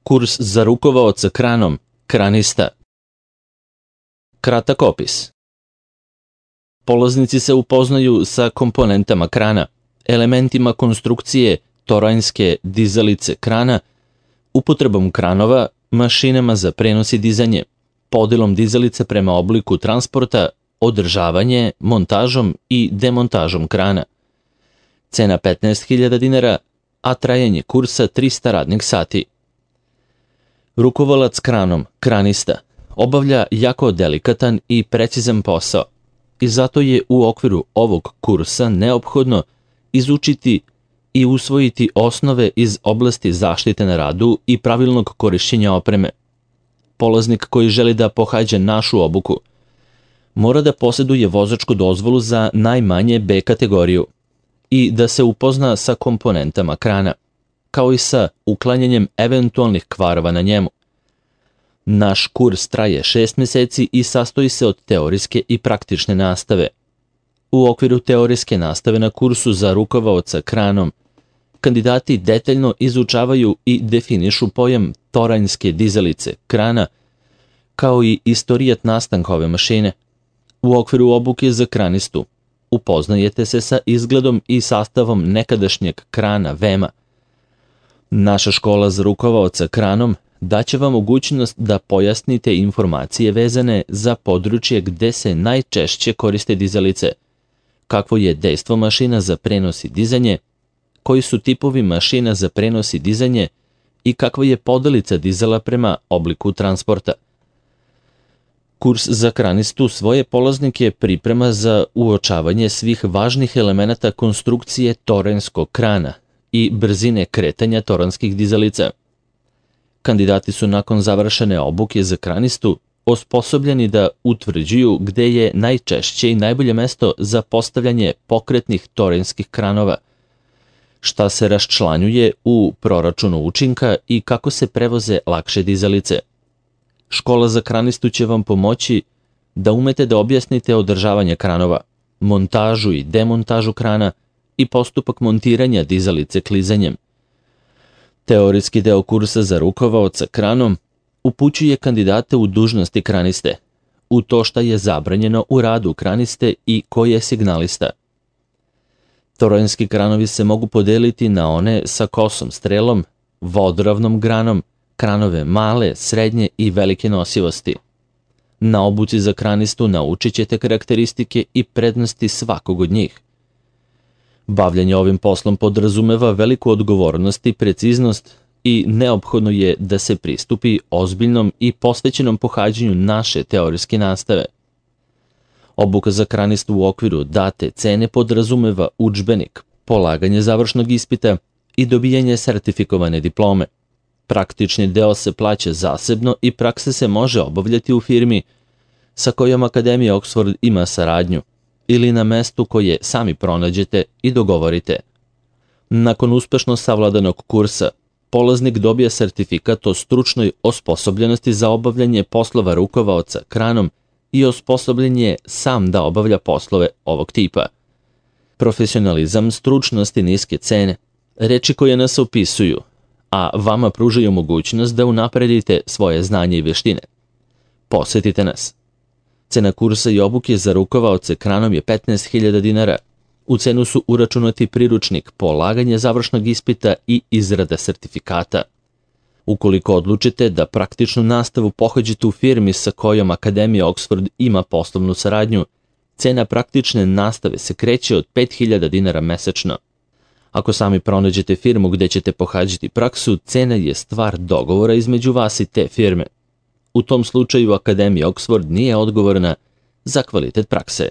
Kurs za rukovaoca kranom, kranista. Kratak opis. Polaznici se upoznaju sa komponentama krana, elementima konstrukcije toranjske dizalice krana, upotrebom kranova, mašinama za prenos i dizanje, podelom dizalice prema obliku transporta, održavanje, montažom i demontažom krana. Cena 15.000 dinara, a trajanje kursa 300 radnih sati. Rukovalac kranom, kranista, obavlja jako delikatan i precizan posao i zato je u okviru ovog kursa neophodno izučiti i usvojiti osnove iz oblasti zaštite na radu i pravilnog korišćenja opreme. Polaznik koji želi da pohađa našu obuku mora da posjeduje vozačku dozvolu za najmanje B kategoriju i da se upozna sa komponentama krana, kao i sa uklanjanjem eventualnih kvarova na njemu. Naš kurs traje 6 meseci i sastoji se od teorijske i praktične nastave. U okviru teorijske nastave na kursu za rukovaoca kranom, kandidati detaljno izučavaju i definišu pojam toranjske dizalice krana, kao i istorijat nastanka ove mašine. U okviru obuke za kranistu upoznajete se sa izgledom i sastavom nekadašnjeg krana vema. Naša škola za rukovaoca kranom daće vam mogućnost da pojasnite informacije vezane za područje gde se najčešće koriste dizalice, kakvo je dejstvo mašina za prenos i dizanje, koji su tipovi mašina za prenos i dizanje i kakva je podelica dizala prema obliku transporta. Kurs za kranistu svoje polaznike priprema za uočavanje svih važnih elemenata konstrukcije toranjskog krana i brzine kretanja toranskih dizalica. Kandidati su nakon završene obuke za kranistu osposobljeni da utvrđuju gde je najčešće i najbolje mesto za postavljanje pokretnih toranjskih kranova, šta se raščlanjuje u proračunu učinka i kako se prevoze lakše dizalice. Škola za kranistu će vam pomoći da umete da objasnite održavanje kranova, montažu i demontažu krana i postupak montiranja dizalice klizanjem. Teorijski deo kursa za rukovaoca kranom upućuje kandidate u dužnosti kraniste, u to šta je zabranjeno u radu kraniste i ko je signalista. Toranjski kranovi se mogu podeliti na one sa kosom strelom, vodoravnom granom, kranove male, srednje i velike nosivosti. Na obuci za kranistu naučit ćete karakteristike i prednosti svakog od njih. Bavljanje ovim poslom podrazumeva veliku odgovornost i preciznost i neophodno je da se pristupi ozbiljnom i posvećenom pohađanju naše teorijske nastave. Obuka za kranistu u okviru date cene podrazumeva udžbenik, polaganje završnog ispita i dobijanje sertifikovane diplome. Praktični deo se plaća zasebno i praksa se može obavljati u firmi sa kojom Akademija Oxford ima saradnju ili na mestu koje sami pronađete i dogovorite. Nakon uspešno savladanog kursa, polaznik dobija sertifikat o stručnoj osposobljenosti za obavljanje poslova rukovaoca kranom i osposobljen je sam da obavlja poslove ovog tipa. Profesionalizam, stručnost i niske cene, reči koje nas opisuju, a vama pružaju mogućnost da unapredite svoje znanje i veštine. Posetite nas. Cena kursa i obuke za rukovaoce kranom je 15.000 dinara. U cenu su uračunati priručnik, polaganje završnog ispita i izrada sertifikata. Ukoliko odlučite da praktičnu nastavu pohađate u firmi sa kojom Akademija Oxford ima poslovnu saradnju, cena praktične nastave se kreće od 5.000 dinara mesečno. Ako sami pronađete firmu gde ćete pohađati praksu, cena je stvar dogovora između vas i te firme. U tom slučaju Akademija Oxford nije odgovorna za kvalitet prakse.